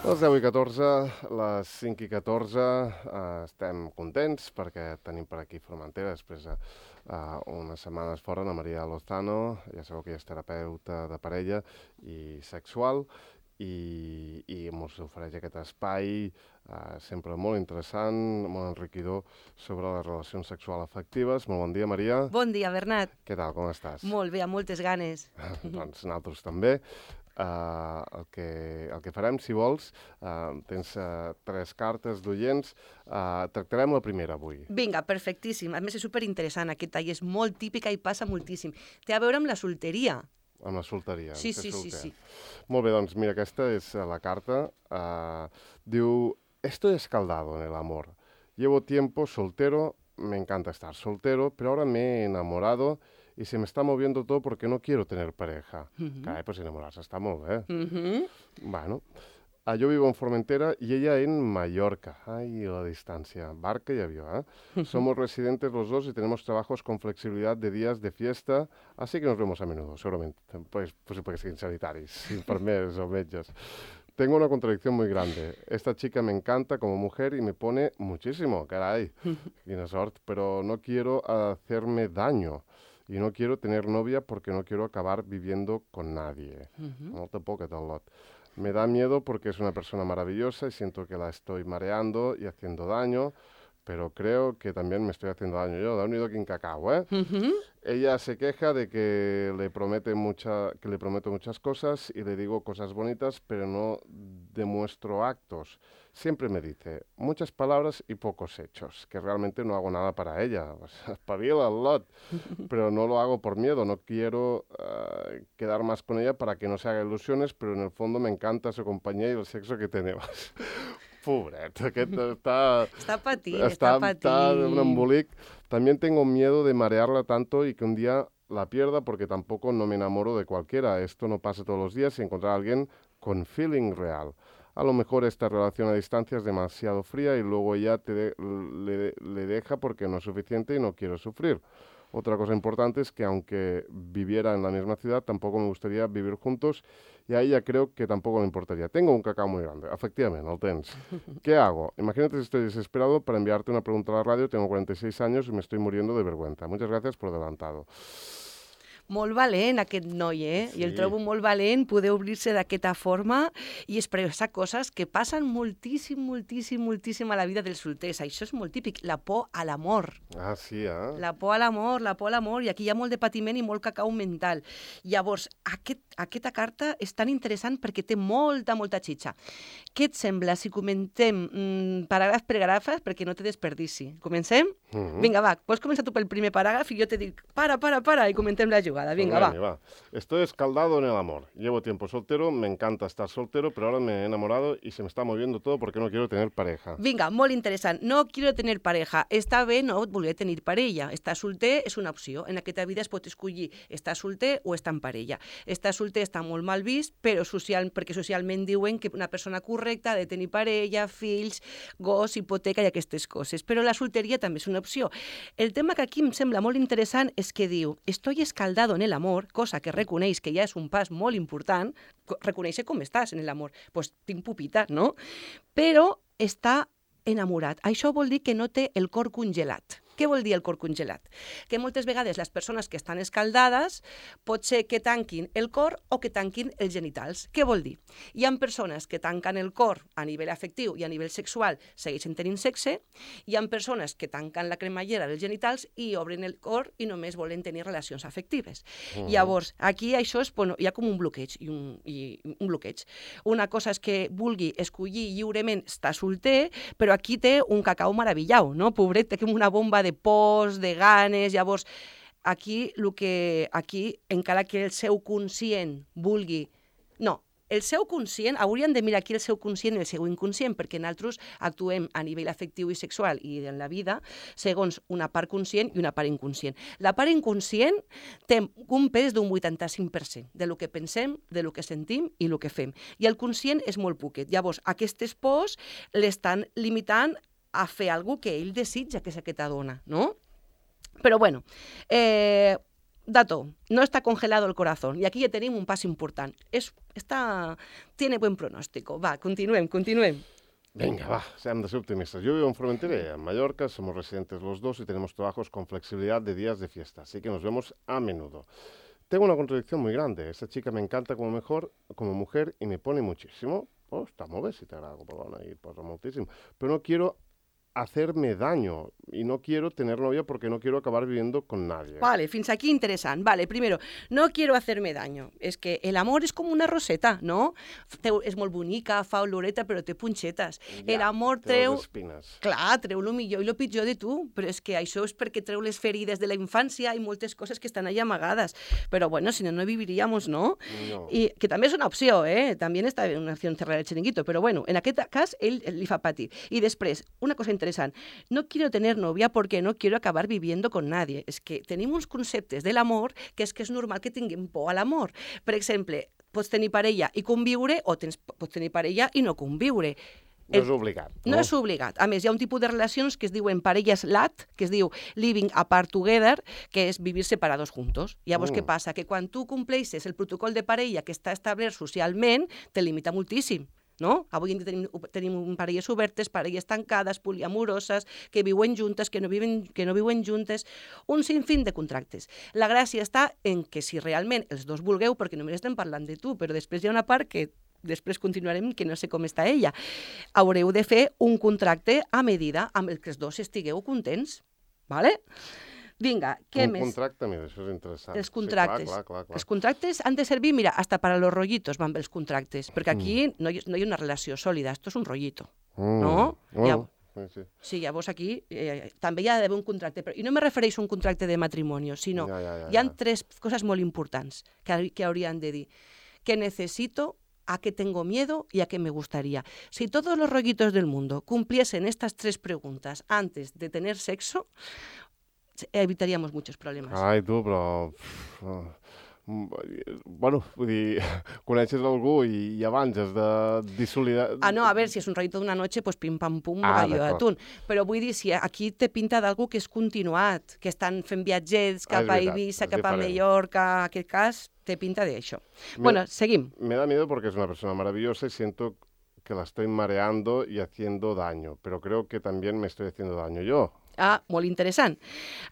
Les 10:14, les 5:14, estem contents perquè tenim per aquí Formentera després unes setmanes fora la Maria Lozano, ja sabeu que ella és terapeuta de parella i sexual i ens ofereix aquest espai sempre molt interessant, molt enriquidor sobre les relacions sexuals afectives. Molt bon dia, Maria. Bon dia, Bernat. Què tal, com estàs? Molt bé, amb moltes ganes. Doncs nosaltres també. El que farem, si vols, tens 3 cartes d'oients. Tractarem la primera avui. Vinga, perfectíssim. A més, és superinteressant. Aquest tall és molt típica i passa moltíssim. Té a veure amb la solteria. Amb la solteria. Sí. Molt bé, doncs mira, aquesta és la carta. Diu, estoy escaldado en el amor. Llevo tiempo soltero, me encanta estar soltero, pero ahora me he enamorado y se me está moviendo todo porque no quiero tener pareja. Carai, pues enamorarse està molt bé. Bueno, yo vivo en Formentera y ella en Mallorca. Ay, la distancia. Barca y avión, Somos residentes los dos y tenemos trabajos con flexibilidad de días de fiesta, así que nos vemos a menudo, seguramente. Pues porque siguin sanitaris, enfermeros o metges. Tengo una contradicción muy grande. Esta chica me encanta como mujer y me pone muchísimo, caray. Quina sort, pero no quiero hacerme daño. Y no quiero tener novia porque no quiero acabar viviendo con nadie. Molta por aquest lot. Me da miedo porque es una persona maravillosa y siento que la estoy mareando y haciendo daño, pero creo que también me estoy haciendo daño yo. Da unido quin cacao, Ella se queja de que le prometo muchas cosas y le digo cosas bonitas, pero no demuestro actos. Siempre me dice muchas palabras y pocos hechos, que realmente no hago nada para ella. Pues, espabila el lot, pero no lo hago por miedo. No quiero quedar más con ella para que no se haga ilusiones, pero en el fondo me encanta su compañía y el sexo que tenemos. Pobret, aquest Está patint. un embolic. También tengo miedo de marearla tanto y que un día la pierda porque tampoco no me enamoro de cualquiera. Esto no pasa todos los días y encontrar a alguien con feeling real. A lo mejor esta relación a distancia es demasiado fría y luego ella le deja porque no es suficiente y no quiero sufrir. Otra cosa importante es que aunque viviera en la misma ciudad, tampoco me gustaría vivir juntos y a ella creo que tampoco le importaría. Tengo un cacao muy grande, efectivamente, el tens. ¿Qué hago? Imagínate si estoy desesperado para enviarte una pregunta a la radio, tengo 46 años y me estoy muriendo de vergüenza. Muchas gracias por adelantado. Molt valent, aquest noi, Sí. I el trobo molt valent poder obrir-se d'aquesta forma i expressar coses que passen moltíssim a la vida dels solters. Això és molt típic, la por a l'amor. Ah, sí, La por a l'amor, i aquí hi ha molt de patiment i molt cacau mental. Llavors, aquesta carta és tan interessant perquè té molta xitxa. Què et sembla si comentem paràgraf per paràgraf perquè no te desperdici? Comencem? Vinga, va, pots començar tu pel primer paràgraf i jo te dic, para, i comentem la jugada. Venga, va. Estoy escaldado en el amor. Llevo tiempo soltero, me encanta estar soltero, pero ahora me he enamorado y se me está moviendo todo porque no quiero tener pareja. Vinga, molt interessant. No quiero tener pareja. Està bé no voler tenir parella. Estar solter és una opció. En aquesta vida es pot escollir estar solter o estar en parella. Estar solter està molt mal vist, però perquè socialment diuen que una persona correcta ha de tenir parella, fills, gos, hipoteca i aquestes coses. Però la solteria també és una opció. El tema que aquí em sembla molt interessant és que diu, estoy escaldado en el amor, cosa que reconeix que ja és un pas molt important, reconèixer com estàs en l'amor. Doncs tinc pupita, no? Però està enamorat. Això vol dir que no té el cor congelat. Què vol dir el cor congelat? Que moltes vegades les persones que estan escaldades pot ser que tanquin el cor o que tanquin els genitals. Què vol dir? Hi ha persones que tanquen el cor a nivell afectiu i a nivell sexual segueixen tenint sexe, hi ha persones que tanquen la cremallera dels genitals i obren el cor i només volen tenir relacions afectives. Llavors, aquí això és, hi ha com un bloqueig. Una cosa és que vulgui escollir lliurement estar solter, però aquí té un cacau meravellau, no? Pobret, té com una bomba de pors, de ganes. Llavors, aquí, encara que el seu conscient vulgui... No, el seu conscient, hauríem de mirar aquí el seu conscient i el seu inconscient, perquè nosaltres actuem a nivell afectiu i sexual i en la vida segons una part conscient i una part inconscient. La part inconscient té un pes d'un 85% de lo que pensem, de lo que sentim i lo que fem. I el conscient és molt poquet. Llavors, aquestes pors l'estan limitant a fer alguna cosa que ell desitja que és aquesta dona, no? Però, bueno, dato, no está congelado el corazón. I aquí ja tenim un pas important. Tiene buen pronóstico. Va, continuem. Venga, va, sean de ser optimistas. Yo vivo en Formentera, en Mallorca, somos residentes los dos y tenemos trabajos con flexibilidad de días de fiesta, así que nos vemos a menudo. Tengo una contradicción muy grande. Esta chica me encanta como mujer y me pone muchísimo. Oh, està molt bé, si t'agrada com a dona i posa moltíssim. Però no quiero hacerme daño y no quiero tener novia porque no quiero acabar viviendo con nadie. Vale, fins aquí interessant. Vale, primero, no quiero hacerme daño. És que el amor és com una roseta, no? És molt bonica, fa oloreta, però té punxetes. Ja, el amor té treu... les espines. Clar, treu el millor i el pitjor de tu, però és que això és perquè treu les ferides de la infància i moltes coses que estan allà amagades. Però bueno, si no, no viviríamos, ¿no? No. I que també és una opció, També està una opció cerrar el chiringuito, però bueno, en aquest cas ell li fa patir. I després, una cosa interessant, no quiero tener novia porque no quiero acabar viviendo con nadie. És que tenim uns conceptes de l'amor que és normal que tinguem por a l'amor. Per exemple, pots tenir parella i conviure o pots tenir parella i no conviure. No és obligat. No és obligat. A més, hi ha un tipus de relacions que es diuen parelles LAT, que es diu Living Apart Together, que és vivir separados juntos. Llavors, què passa? Que quan tu compleixes el protocol de parella que està establert socialment, te limita moltíssim. No? Avui en dia tenim parelles obertes, parelles tancades, poliamoroses, que viuen juntes, que no viuen juntes, un sinfín de contractes. La gràcia està en que si realment els dos vulgueu, perquè només estem parlant de tu, però després hi ha una part que després continuarem, que no sé com està ella, haureu de fer un contracte a medida amb el que els dos estigueu contents. ¿Vale? Vinga, què més? Un contracte, mira, això és interessant. Els contractes. Sí, clar. Els contractes han de servir, mira, hasta para los rollitos van bé els contractes, perquè aquí no hi ha una relació sòlida, esto és un rollito, no? Bueno, sí, llavors aquí també hi ha d'haver un contracte, i no me refereixo a un contracte de matrimoni, sinó hi ha tres coses molt importants que haurien de dir. Que necesito, a qué tengo miedo y a qué me gustaría. Si todos los rollitos del mundo cumpliesen estas tres preguntas antes de tener sexo, evitaríamos muchos problemes. Ai, tu, però... Bueno, vull dir, coneixes algú i abans has de dissolidar... No, a ver, si és un rollito d'una noche, pues pim-pam-pum, gallo d'atún. Però vull dir, si aquí te pinta d'algú que és continuat, que estan fent viatgets cap a Ibiza, cap a Mallorca, en aquest cas, te pinta de això. Bueno, seguim. Me da miedo porque es una persona maravillosa y siento que la estoy mareando y haciendo daño, pero creo que también me estoy haciendo daño yo. Molt interessant.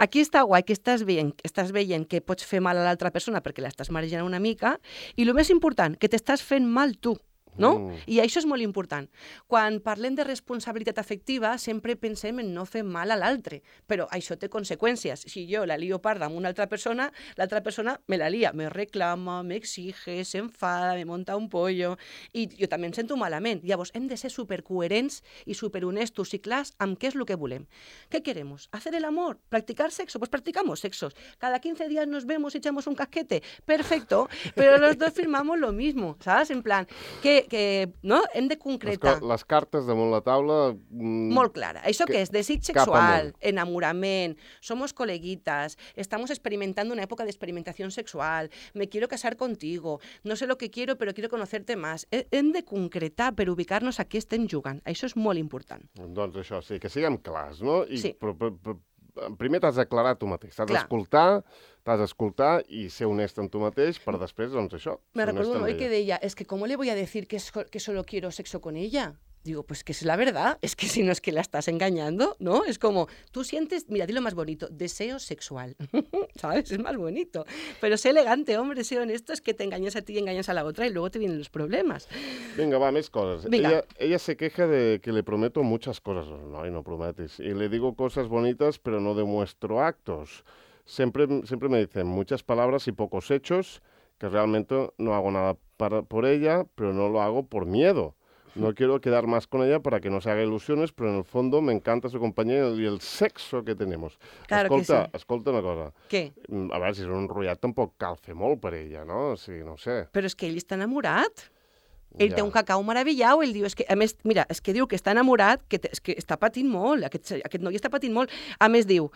Aquí està guai que estàs veient que pots fer mal a l'altra persona perquè l'estàs marejant una mica i el més important, que t'estàs fent mal tu. No? I això és molt important. Quan parlem de responsabilitat afectiva, sempre pensem en no fer mal a l'altre, però això té conseqüències. Si jo la lio parda amb una altra persona, l'altra persona me la lia, me reclama, m'exige, s'enfada, me monta un pollo, i jo també em sento malament. Llavors, hem de ser supercoherents i superhonestos i clars amb què és el que volem. ¿Qué queremos? ¿Hacer el amor? ¿Practicar sexo? Pues practicamos sexos. Cada 15 días nos vemos y echamos un casquete. Perfecto, pero los dos firmamos lo mismo, ¿sabes? En plan, no? Hem de concretar. Les cartes damunt la taula... Molt clara. Això què és? Desig sexual, enamorament, somos coleguitas, estamos experimentando una época de experimentación sexual, me quiero casar contigo, no sé lo que quiero, pero quiero conocerte más. Hem de concretar per ubicar-nos a què estem jugant. Això és molt important. Doncs això, sí, que siguem clars, no? Sí. Però primer t'has d'aclarar tu mateix, t'has d'escoltar i ser honest amb tu mateix per després, doncs això. Me recuerdo un hoy que deia, es que ¿cómo le voy a decir que solo quiero sexo con ella? Digo, pues que es la verdad, es que si no es que la estás engañando, ¿no? Es como, tú sientes, mira, di lo más bonito, deseo sexual, ¿sabes? Es más bonito. Pero sé elegante, hombre, sé honesto, es que te engañas a ti y engañas a la otra y luego te vienen los problemas. Venga, va, més coses. Ella se queja de que le prometo muchas cosas. No, y no prometes. Y le digo cosas bonitas, pero no demuestro actos. Siempre me dicen muchas palabras y pocos hechos, que realmente no hago nada por ella, pero no lo hago por miedo. No quiero quedar más con ella para que no se haga ilusiones, pero en el fondo me encanta su compañía y el sexo que tenemos. Claro escolta, que sí. Escolta una cosa. Què? A veure, si és un enrotllat tampoc cal fer molt per ella, no? O sigui, no ho sé. Però és que ell està enamorat. Ell té un cacau meravellau, ell diu, a més, mira, és que diu que està enamorat, que està patint molt, aquest noi està patint molt. A més diu,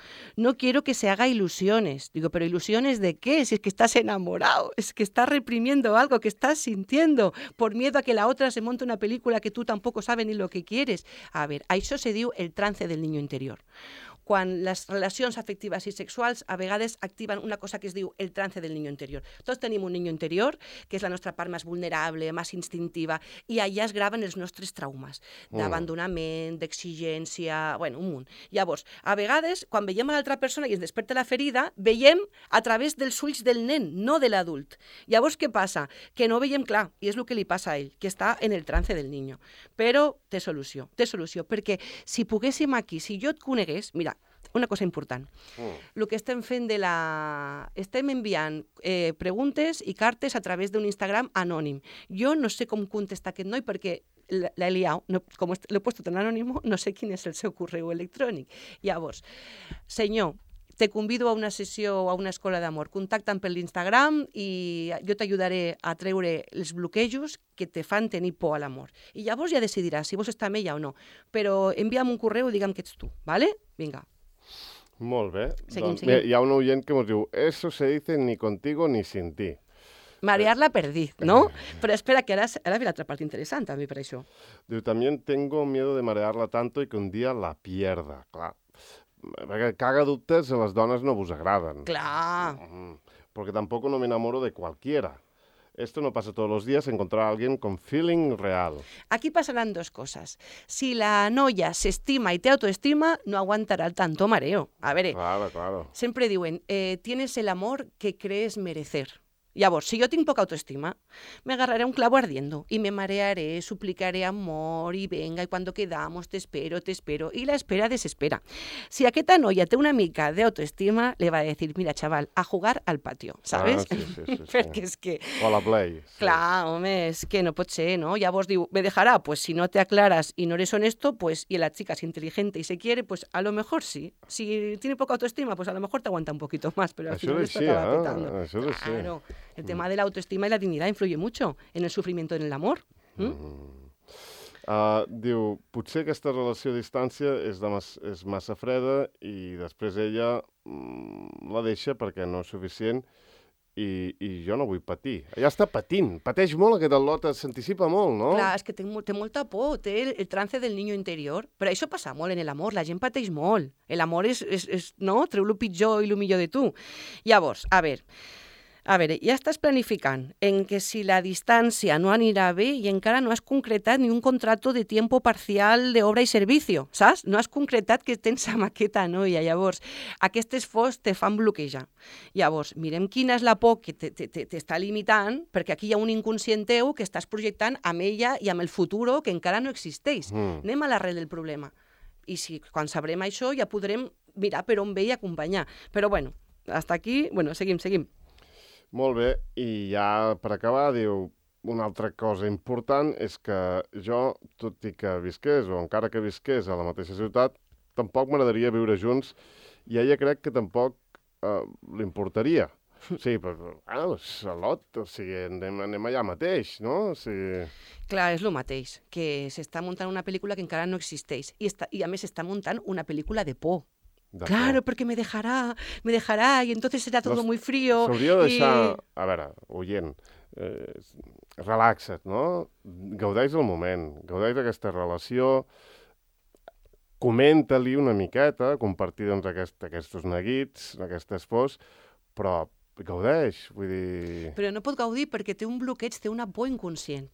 no quiero que se haga ilusiones. Digo, pero ilusiones de qué? Si es que estás enamorado, es que estás reprimiendo algo que estás sintiendo por miedo a que la otra se monte una película que tú tampoco sabes ni lo que quieres. A ver, a això se diu el trance del niño interior. quan les relacions afectives i sexuals a vegades activen una cosa que es diu el trance del niño interior. Tots tenim un niño interior, que és la nostra part més vulnerable, més instintiva, i allà es graven els nostres traumes d'abandonament, d'exigència, bueno, un munt. Llavors, a vegades, quan veiem a l'altra persona i ens desperta la ferida, veiem a través dels ulls del nen, no de l'adult. Llavors, què passa? Que no veiem clar, i és el que li passa a ell, que està en el trance del niño. Però té solució, perquè si poguéssim aquí, si jo et conegués, mira, una cosa important. El que estem fent estem enviant preguntes i cartes a través d'un Instagram anònim. Jo no sé com contestar aquest noi perquè l'he liat, com l'he posat en anònimo, no sé quin és el seu correu electrònic. Llavors, senyor, te convido a una sessió o a una escola d'amor. Contacta'm per l'Instagram i jo t'ajudaré a treure els bloquejos que te fan tenir por a l'amor. I llavors ja decidiràs si vols estar amb ella o no. Però envia'm un correu i digue'm que ets tu, ¿vale? Vinga. Molt bé. Seguim. Hi ha un oient que ens diu «Eso se dice ni contigo ni sin ti». Marear-la perdí, ¿no? Però espera, que ara ve l'altra part interessant també per això. Diu, también tengo miedo de marearla tanto y que un día la pierda. Clar, perquè caga dubtes a les dones no vos agraden. Clar. Porque tampoco no me enamoro de cualquiera. Esto no pasa todos los días, encontrar a alguien con feeling real. Aquí pasarán dos cosas. Si la noia s'estima i té autoestima, no aguantarà el tanto mareo. A veure, Claro. sempre diuen, tienes el amor que crees merecer. Llavors, si jo tinc poca autoestima, me agarraré un clavo ardiendo y me marearé, suplicaré amor y venga, y cuando quedamos te espero, y la espera desespera. Si aquesta noia té una mica d'autoestima, le va a decir, mira, chaval, a jugar al patio, ¿sabes? Sí. Perquè és que... O a la Play. Sí. Clar, home, és que no pot ser, ¿no? Llavors diu, me dejará, pues si no te aclaras y no eres honesto, pues y la chica es inteligente y se quiere, pues a lo mejor sí. Si tiene poca autoestima, pues a lo mejor te aguanta un poquito más, pero al final esto acaba petando. Això és així. Claro. El tema de la autoestima y la dignidad influye mucho en el sufrimiento en el amor. Diu, potser aquesta relació a distància és massa freda i després ella la deixa perquè no és suficient i jo no vull patir. Ja està patint, pateix molt aquest al·lot, s'anticipa molt, no? Clar, és que té molta por, té el trance del niño interior, però això passa molt en l'amor, la gent pateix molt. L'amor és no? Treu el pitjor i el millor de tu. Llavors, a veure, ja estàs planificant en que si la distància no anirà bé i encara no has concretat ni un contrato de tiempo parcial d'obra i servicio, saps? No has concretat que tens amb aquesta noia. Llavors, aquestes fos te fan bloquejar. Llavors, mirem quina és la por que t'està limitant, perquè aquí hi ha un inconscient teu que estàs projectant amb ella i amb el futur que encara no existeix. Anem a l'arrel del problema. I si quan sabrem això ja podrem mirar per on ve i acompanyar. Però bueno, hasta aquí, seguim. Molt bé, i ja per acabar, diu, una altra cosa important és que jo, tot i que visqués, o encara que visqués a la mateixa ciutat, tampoc m'agradaria viure junts i ella crec que tampoc li importaria. Sí, però, Salot, o sigui, anem allà mateix, no? O sigui... Clar, és el mateix, que s'està muntant una pel·lícula que encara no existeix i a més s'està muntant una pel·lícula de por. Claro, porque me dejará y entonces será todo muy frío. S'hauria de deixar, a veure, oient, relaxa't, no? Gaudeix del moment, gaudeix d'aquesta relació, comenta-li una miqueta, compartir doncs, aquests neguits, aquestes pors, però gaudeix, vull dir... Però no pot gaudir perquè té un bloqueig, té una por inconscient.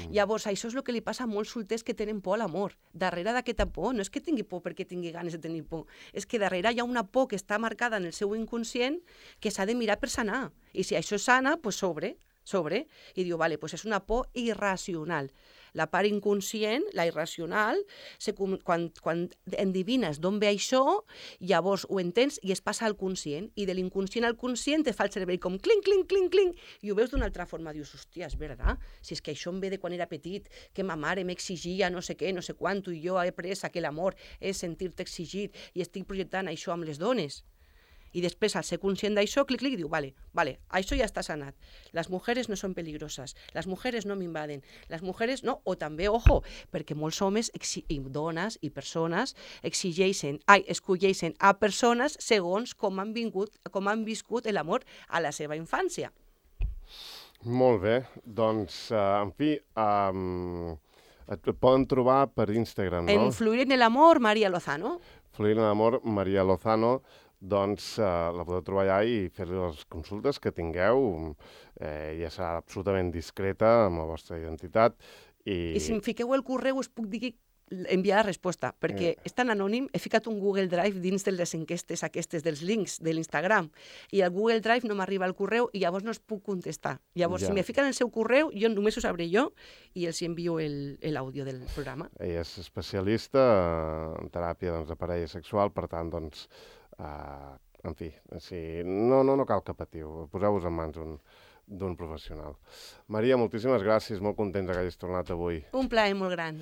Llavors, això és el que li passa a molts solters que tenen por a l'amor. Darrere d'aquesta por, no és que tingui por perquè tingui ganes de tenir por, és que darrere hi ha una por que està marcada en el seu inconscient que s'ha de mirar per sanar. I si això sana, doncs sobre. I diu, vale, doncs és una por irracional. La part inconscient, la irracional, quan endevines d'on ve això, llavors ho entens i es passa al conscient. I de l'inconscient al conscient te fa el cervell com clinc, clinc, clinc, clinc, i ho veus d'una altra forma. Dius, hòstia, és veritat? Si és que això em ve de quan era petit, que ma mare m'exigia no sé què, no sé quant, i jo he après que l'amor és sentir-te exigit i estic projectant això amb les dones. I després, al ser conscient d'això, clic, diu, vale, això ja està sanat. Les mujeres no són peligroses, les mujeres no m'invaden, les mujeres no, o també, ojo, perquè molts homes i dones i persones escolleixen a persones segons com han viscut l'amor a la seva infància. Molt bé, doncs, en fi, Et poden trobar per Instagram, no? En Fluir en el Amor, María Lozano. Fluir en l'amor, Maria Lozano, doncs la podeu trobar allà i fer-li les consultes que tingueu. Ja serà absolutament discreta amb la vostra identitat. I si em fiqueu el correu us puc dir enviar la resposta, perquè és tan anònim, he ficat un Google Drive dins de les enquestes aquestes dels links de l'Instagram, i al Google Drive no m'arriba el correu i llavors no es puc contestar. Llavors, si me fiquen el seu correu, jo només ho sabré jo i els envio l'àudio del programa. Ella és especialista en teràpia de parella sexual, per tant, doncs, en fi, no cal que patiu, poseu-vos en mans d'un professional. Maria, moltíssimes gràcies, molt contents que hagis tornat avui. Un plaer molt gran.